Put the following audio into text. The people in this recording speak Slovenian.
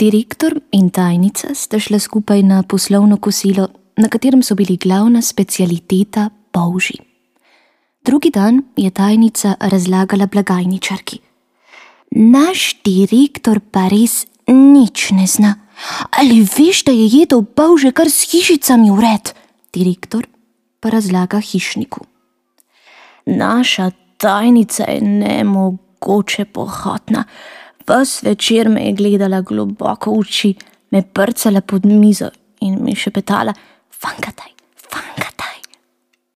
Direktor in tajnica sta šla skupaj na poslovno kosilo, na katerem so bili glavna specialiteta polži. Drugi dan je tajnica razlagala blagajničarki. Naš direktor pa res nič ne zna. Ali veš, da je jedel polže kar s hišicami vred? Direktor pa razlaga hišniku. Naša tajnica je nemogoče pohotna. Ves večer me je gledala globoko v oči, me prcala pod mizo in mi šepetala: fankataj, fankataj.